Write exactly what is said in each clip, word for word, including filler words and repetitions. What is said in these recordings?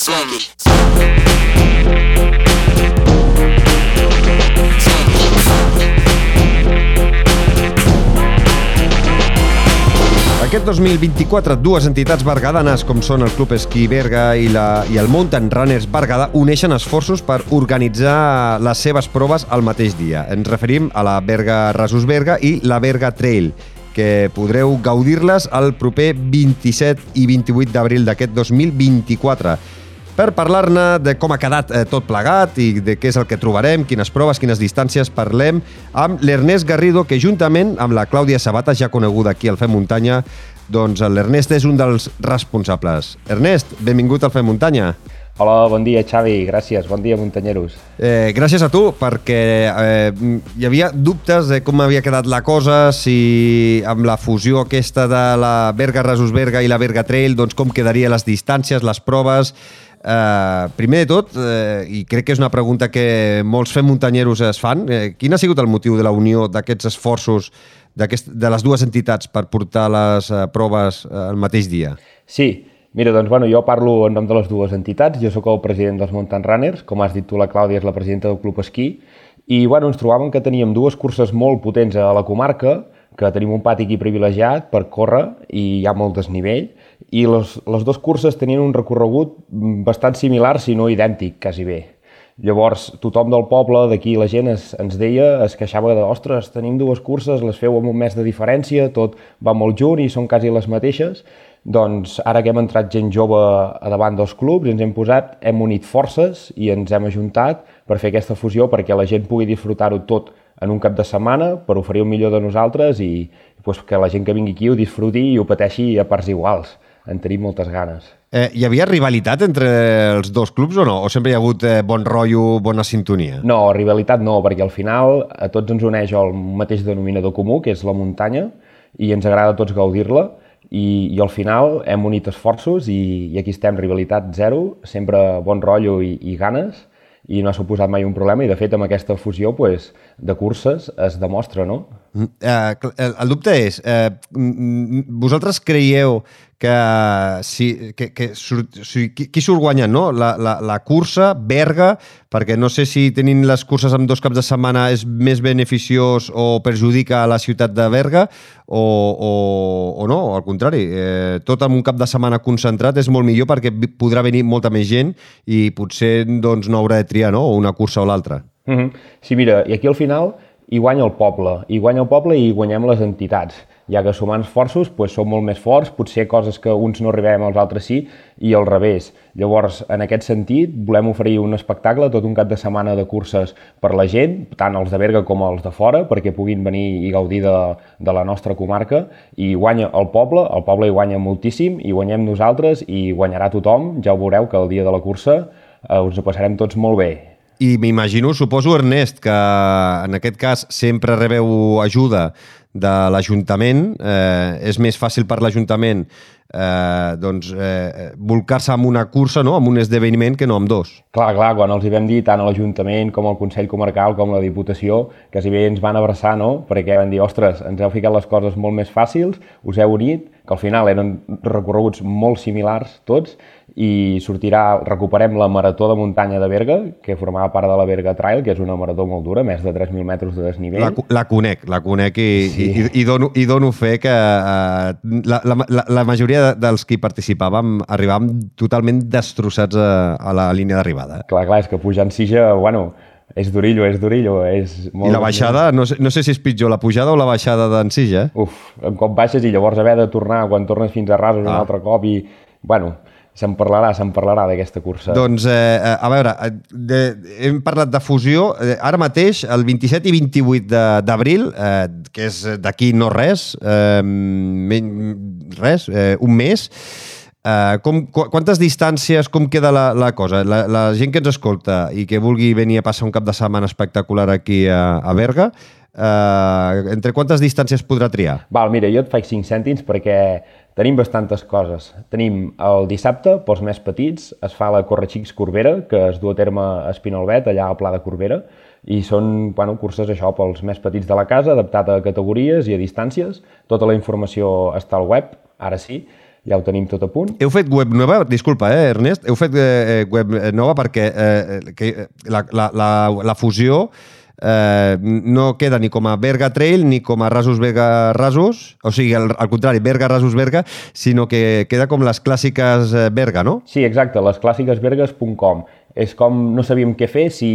Aquest dos mil vint-i-quatre, dues entitats berguedanes com són el Club Esquí Berga i, la, i el Mountain Runners Berguedà uneixen esforços per organitzar les seves proves al mateix dia. Ens referim a la Berga Rasos Berga i la Berga Trail, que podreu gaudir-les el proper vint-i-set i vint-i-vuit d'abril d'aquest dos mil vint-i-quatre. Per parlar-ne de com ha quedat eh, tot plegat i de què és el que trobarem, quines proves, quines distàncies, parlem amb l'Ernest Garrido, que juntament amb la Clàudia Sabata, ja coneguda aquí al Fem Muntanya, doncs l'Ernest és un dels responsables. Ernest, benvingut al Fem Muntanya. Hola, bon dia, Xavi. Gràcies. Bon dia, muntanyeros. Eh, gràcies a tu, perquè eh, hi havia dubtes de com havia quedat la cosa, si amb la fusió aquesta de la Berga Rasos Berga i la Berga Trail, doncs com quedarien les distàncies, les proves. Uh, primer de tot, uh, i crec que és una pregunta que molts fem muntanyeros es fan, uh, quin ha sigut el motiu de la unió d'aquests esforços de les dues entitats per portar les uh, proves uh, el mateix dia? Sí, mira, doncs bueno, jo parlo en nom de les dues entitats, jo sóc el president dels Mountain Runners, com has dit tu, la Clàudia és la presidenta del Club Esquí, i bueno, ens trobàvem que teníem dues curses molt potents a la comarca, que tenim un pati aquí privilegiat per córrer i hi ha molt desnivell, i les, les dues curses tenien un recorregut bastant similar, si no idèntic, quasi bé. Llavors, tothom del poble, d'aquí la gent es, ens deia, es queixava de, ostres, tenim dues curses, les feu amb un mes de diferència, tot va molt junt i són quasi les mateixes. Doncs ara que hem entrat gent jove a davant dels clubs, ens hem posat, hem unit forces i ens hem ajuntat per fer aquesta fusió perquè la gent pugui disfrutar-ho tot en un cap de setmana per oferir el millor de nosaltres i pues, que la gent que vingui aquí ho disfruti i ho pateixi a parts iguals. En tenim moltes ganes. Eh, hi havia rivalitat entre els dos clubs o no? O sempre hi ha hagut eh, bon rotllo, bona sintonia? No, rivalitat no, perquè al final a tots ens uneix el mateix denominador comú, que és la muntanya, i ens agrada a tots gaudir-la, i, i al final hem unit esforços i, i aquí estem, rivalitat zero, sempre bon rotllo i, i ganes, i no ha suposat mai un problema, i de fet amb aquesta fusió pues, de curses es demostra, no? Mm, eh, el dubte és, eh, vosaltres creieu que, si, que, que surt, si, qui, qui surt guanyant, no? La, la, la cursa, Berga, perquè no sé si tenint les curses amb dos caps de setmana és més beneficiós o perjudica a la ciutat de Berga o, o, o no, al contrari. Eh, tot en un cap de setmana concentrat és molt millor perquè podrà venir molta més gent i potser doncs, no haurà de triar, no? Una cursa o l'altra. Mm-hmm. Sí, mira, i aquí al final hi guanya el poble, hi guanya el poble i guanyem les entitats. Ja que sumant esforços pues, som molt més forts, potser coses que uns no arribem, els altres sí, i al revés. Llavors, en aquest sentit, volem oferir un espectacle, tot un cap de setmana de curses per la gent, tant els de Berga com els de fora, perquè puguin venir i gaudir de, de la nostra comarca, i guanya el poble, el poble hi guanya moltíssim, i guanyem nosaltres, i guanyarà tothom, ja ho veureu que el dia de la cursa eh, us ho passarem tots molt bé. I m'imagino, suposo, Ernest, que en aquest cas sempre rebeu ajuda de l'Ajuntament. Eh, és més fàcil per l'Ajuntament eh, doncs, eh, volcar-se amb una cursa, no? Amb un esdeveniment, que no amb dos. Clar, clar, quan els hi vam dir tant a l'Ajuntament com al Consell Comarcal com a la Diputació, quasi bé ens van abraçar, no? Perquè van dir, ostres, ens heu ficat les coses molt més fàcils, us heu unit, que al final eren recorreguts molt similars tots, i sortirà, recuperem la Marató de Muntanya de Berga, que formava part de la Berga Trail, que és una marató molt dura, més de tres mil metres de desnivell. La, la conec, la conec i, sí. i, i, dono, i dono fe que uh, la, la, la majoria dels que hi participàvem arribàvem totalment destrossats a, a la línia d'arribada. Clar, clar, és que pujant Sija, bueno, és durillo, és durillo. És molt... I la baixada, no sé, no sé si és pitjor la pujada o la baixada d'en Sija. Uf, un cop baixes i llavors haver de tornar quan tornes fins a Rasos ah. un altre cop i, bueno... Se'n parlarà, se'n parlarà d'aquesta cursa. Doncs, eh, a veure, de, hem parlat de fusió. Ara mateix, el vint-i-set i vint-i-vuit d'abril, eh, que és d'aquí no res, eh, res, eh, un mes, eh, com, quantes distàncies, com queda la, la cosa? La, la gent que ens escolta i que vulgui venir a passar un cap de setmana espectacular aquí a, a Berga, eh, entre quantes distàncies podrà triar? Val, mira, jo et faig cinc cèntims perquè tenim bastantes coses. Tenim el dissabte, pels més petits, es fa la Correxics Corbera, que es du a terme a Espinalbet, allà al Pla de Corbera, i són bueno, curses això pels més petits de la casa, adaptat a categories i a distàncies. Tota la informació està al web, ara sí. ja ho tenim tot a punt. Heu fet web nova? Disculpa, eh, Ernest. Heu fet eh, web nova perquè eh, que la, la, la, la fusió eh, no queda ni com a Berga Trail ni com a Rasos Berga Rasos, o sigui, al, al contrari, Berga Rasos Berga, sinó que queda com les clàssiques Berga, no? Sí, exacte, les clàssiques bergues punt com. És com no sabíem què fer, si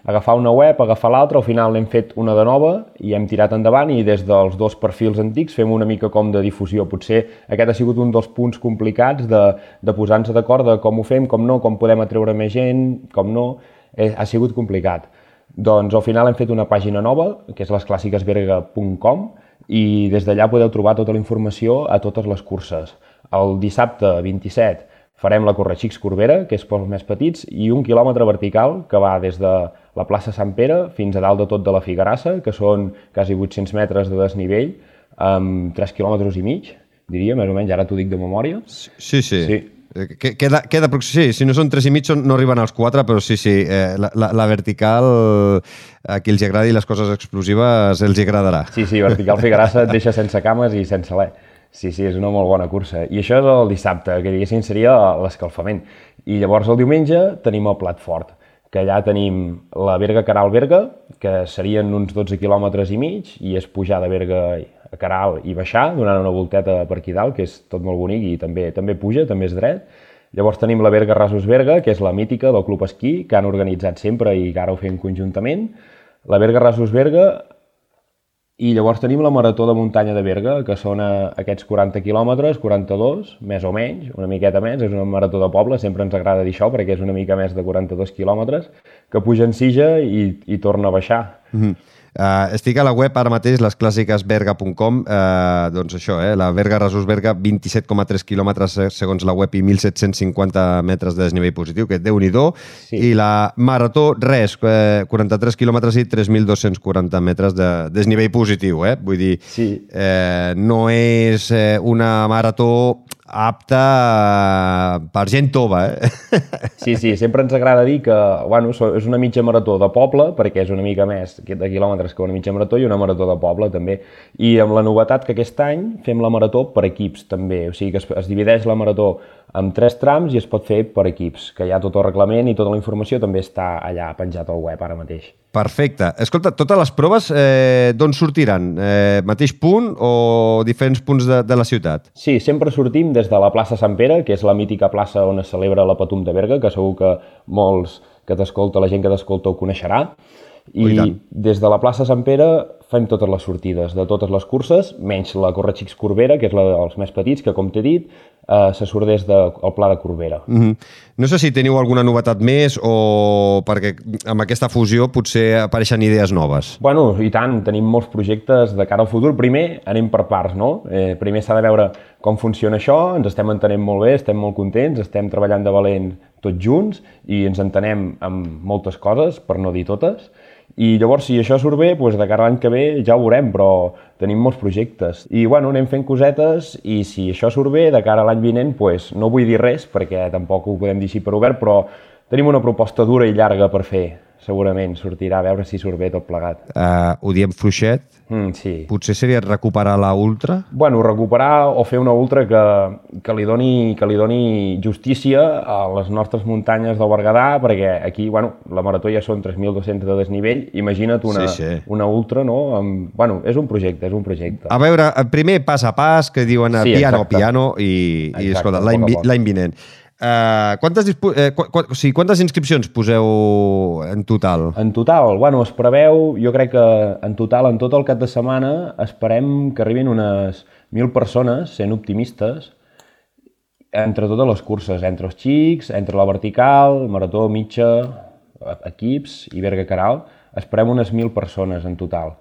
agafar una web, agafar l'altra, al final n'hem fet una de nova i hem tirat endavant i des dels dos perfils antics fem una mica com de difusió. Potser aquest ha sigut un dels punts complicats de, de posar-nos d'acord de com ho fem, com no, com podem atreure més gent, com no, eh, ha sigut complicat. Doncs al final hem fet una pàgina nova, que és les clàssiques berga punt com, i des d'allà podeu trobar tota la informació a totes les curses. El dissabte vint-i-set farem la Correxics Corbera, que és pels més petits, i un quilòmetre vertical que va des de la plaça Sant Pere fins a dalt de tot de la Figarassa, que són quasi vuit-cents metres de desnivell, amb tres quilòmetres i mig, diria, més o menys, ara t'ho dic de memòria. Sí, sí. sí. Queda, queda, sí, si no són tres i mig no arriben als quatre, però sí, sí, eh, la, la, la vertical, a qui els agradi les coses explosives, els agradarà. Sí, sí, vertical Figarassa et deixa sense cames i sense alè. Sí, sí, és una molt bona cursa. I això és el dissabte, que diguéssim seria l'escalfament. I llavors el diumenge tenim el plat fort, que allà tenim la Berga Caral Berga, que serien uns dotze quilòmetres i mig, i és pujar de Berga a Caral i baixar, donant una volteta per aquí dalt, que és tot molt bonic i també també puja, també és dret. Llavors tenim la Berga Rasos Berga, que és la mítica del Club Esquí, que han organitzat sempre i que ara ho fem conjuntament. La Berga Rasos Berga. I llavors tenim la Marató de Muntanya de Berga, que són aquests quaranta quilòmetres, quaranta-dos, més o menys, una miqueta més, és una marató de poble, sempre ens agrada dir això perquè és una mica més de quaranta-dos quilòmetres, que puja en Sija i, i torna a baixar. Mm-hmm. Uh, estic a la web ara mateix, les clàssiques berga punt com, uh, doncs això, eh, la Berga Rasos Berga, vint-i-set coma tres quilòmetres segons la web i mil set-cents cinquanta metres de desnivell positiu, que déu-n'hi-do, sí. I la Marató, res, eh, quaranta-tres quilòmetres i tres mil dos-cents quaranta metres de desnivell positiu, eh? Vull dir, sí. eh, no és eh, una marató apta per gent tova, eh? Sí, sí, sempre ens agrada dir que, bueno, és una mitja marató de poble, perquè és una mica més de quilòmetres que una mitja marató, i una marató de poble, també. I amb la novetat que aquest any fem la marató per equips, també. O sigui que es, es divideix la marató en tres trams i es pot fer per equips, que hi ha tot el reglament i tota la informació també està allà penjat al web ara mateix. Perfecte. Escolta, totes les proves eh, d'on sortiran? Eh, mateix punt o diferents punts de, de la ciutat? Sí, sempre sortim des de la plaça Sant Pere, que és la mítica plaça on es celebra la Patum de Berga, que segur que molts que t'escolta, la gent que t'escolta ho coneixerà. I des de la plaça Sant Pere fem totes les sortides de totes les curses, menys la Correxics Corbera, que és la dels més petits, que com t'he dit, eh, se surt des del de, Pla de Corbera. Mm-hmm. No sé si teniu alguna novetat més o perquè amb aquesta fusió potser apareixen idees noves. Bueno, i tant, tenim molts projectes de cara al futur. Primer anem per parts, no? Eh, primer s'ha de veure com funciona això, ens estem entenent molt bé, estem molt contents, estem treballant de valent tots junts i ens entenem amb moltes coses, per no dir totes. I llavors, si això surt bé, doncs de cara a l'any que ve ja ho veurem, però tenim molts projectes. I bueno, anem fent cosetes i si això surt bé, de cara a l'any vinent, doncs no vull dir res perquè tampoc ho podem dir així per obert, però tenim una proposta dura i llarga per fer. Segurament sortirà, a veure si surt bé tot plegat. Uh, ho diem fluixet? Mm, sí. Potser seria recuperar la ultra? Bueno, recuperar o fer una ultra que, que, li doni, que li doni justícia a les nostres muntanyes del Berguedà, perquè aquí, bueno, la marató ja són tres mil dos-cents de desnivell, imagina't una, sí, sí. una ultra, no? Amb, bueno, és un projecte, és un projecte. A veure, primer pas a pas, que diuen sí, piano, exacte. piano, i, exacte, i escolta, l'any vinent. Uh, quantes, eh, qu qu o sigui, quantes inscripcions poseu en total? En total, bueno, es preveu, jo crec que en total, en tot el cap de setmana, esperem que arribin unes mil persones, sent optimistes, entre totes les curses, entre els xics, entre la vertical, marató, mitja, equips i Berga Caral, esperem unes mil persones en total.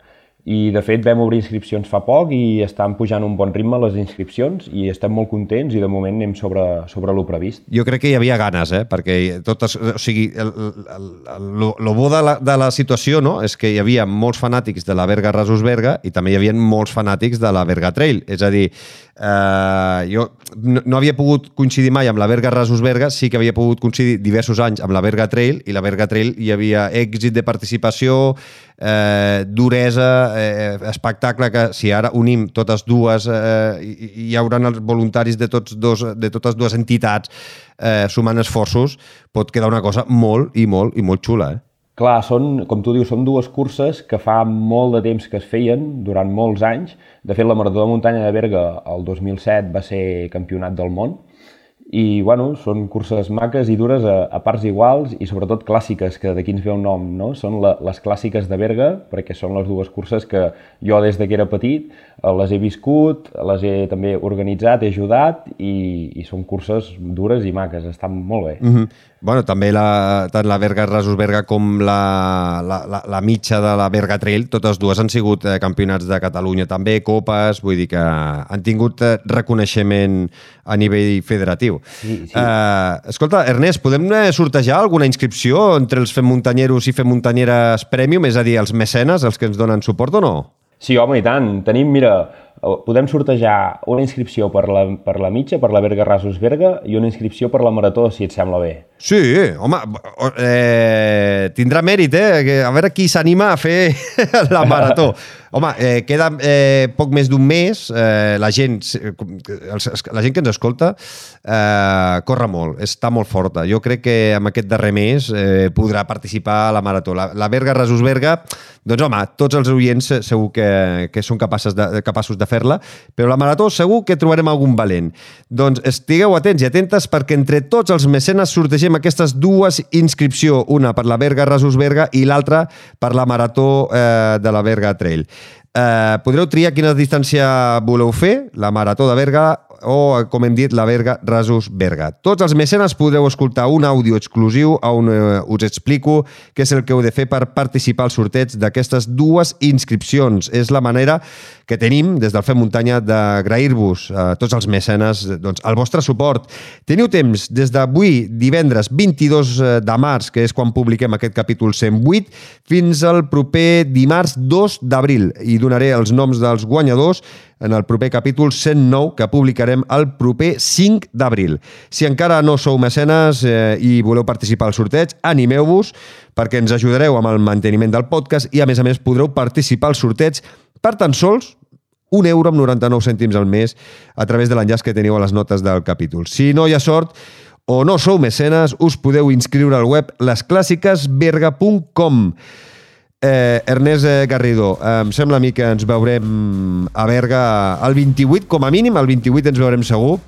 I, de fet, vam obrir inscripcions fa poc i estan pujant un bon ritme les inscripcions i estem molt contents i, de moment, anem sobre, sobre lo previst. Jo crec que hi havia ganes, eh? Perquè totes, o sigui, el, el, el, lo, lo bo de la, de la situació, no?, és que hi havia molts fanàtics de la Berga Rasos Berga i també hi havia molts fanàtics de la Berga Trail. És a dir, eh, jo no, no havia pogut coincidir mai amb la Berga Rasos Berga, sí que havia pogut coincidir diversos anys amb la Berga Trail, i la Berga Trail hi havia èxit de participació, eh, duresa, eh, espectacle, que si ara unim totes dues, eh, hi, hi haurà els voluntaris de, tots dos, de totes dues entitats eh, sumant esforços, pot quedar una cosa molt i molt i molt xula, eh? Clar, són, com tu dius, són dues curses que fa molt de temps que es feien, durant molts anys. De fet, la Marató de Muntanya de Berga el dos mil set va ser campionat del món. I, bueno, són curses maques i dures a, a parts iguals i, sobretot, clàssiques, que d'aquí ens ve el nom, no? Són la, les clàssiques de Berga, perquè són les dues curses que jo, des de que era petit, les he viscut, les he també organitzat, he ajudat, i, i són curses dures i maques, estan molt bé. Mm-hmm. Bueno, també la, tant la Berga Rasos Berga com la, la, la, la mitja de la Berga Trail, totes dues han sigut eh, campionats de Catalunya també, copes, vull dir que han tingut eh, reconeixement a nivell federatiu. Sí, sí. Eh, escolta, Ernest, podem sortejar alguna inscripció entre els Fem Muntanyeros i Fem Muntanyeres Premium, és a dir, els mecenes, els que ens donen suport o no? Sí, home, i tant. Tenim, mira, podem sortejar una inscripció per la, per la mitja, per la Berga Rasos Berga, i una inscripció per la Marató, si et sembla bé. Sí, home, eh, tindrà mèrit, eh? A veure qui s'anima a fer la Marató. Home, eh, queda eh, poc més d'un mes, eh, la, gent, la gent que ens escolta eh, corre molt, està molt forta. Jo crec que amb aquest darrer mes eh, podrà participar a la Marató. La, la Berga Rasos Berga, doncs home, tots els oients segur que, que són capaços de, capaços de fer-la, però la Marató segur que trobarem algun valent. Doncs estigueu atents i atentes perquè entre tots els mecenes sortegem aquestes dues inscripcions, una per la Berga Rasos Berga i l'altra per la Marató eh, de la Berga Trail. Eh, podreu triar quina distància voleu fer, la Marató de Berga o, com hem dit, la Berga Rasos Berga. Tots els mecenes podreu escoltar un àudio exclusiu on eh, us explico què és el que heu de fer per participar al sorteig d'aquestes dues inscripcions. És la manera que tenim des del Fem Muntanya d'agrair-vos a tots els mecenes doncs, el vostre suport. Teniu temps des d'avui, divendres vint-i-dos de març, que és quan publiquem aquest capítol cent vuit, fins al proper dimarts dos d'abril. I donaré els noms dels guanyadors en el proper capítol cent nou, que publicarem el proper cinc d'abril. Si encara no sou mecenes eh, i voleu participar al sorteig, animeu-vos perquè ens ajudareu amb el manteniment del podcast i, a més a més, podreu participar al sorteig per tan sols un euro amb noranta-nou cèntims al mes a través de l'enllaç que teniu a les notes del capítol. Si no hi ha sort o no sou mecenes, us podeu inscriure al web les clàssiques berga punt com. Eh, Ernest Garrido, eh, em sembla a mi que ens veurem a Berga el vint-i-vuit, com a mínim, el vint-i-vuit ens veurem segur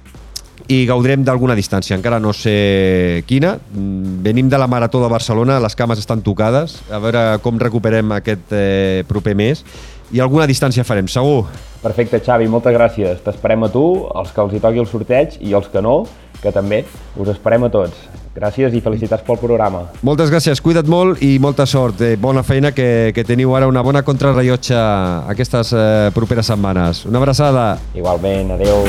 i gaudirem d'alguna distància, encara no sé quina. Venim de la Marató de Barcelona, les cames estan tocades, a veure com recuperem aquest eh, proper mes i alguna distància farem, segur. Perfecte, Xavi, moltes gràcies. T'esperem a tu, els que els hi toqui el sorteig i els que no, que també us esperem a tots. Gràcies i felicitats pel programa. Moltes gràcies, cuida't molt i molta sort. Eh, bona feina, que, que teniu ara una bona contrarrellotge aquestes eh, properes setmanes. Una abraçada. Igualment, adeu.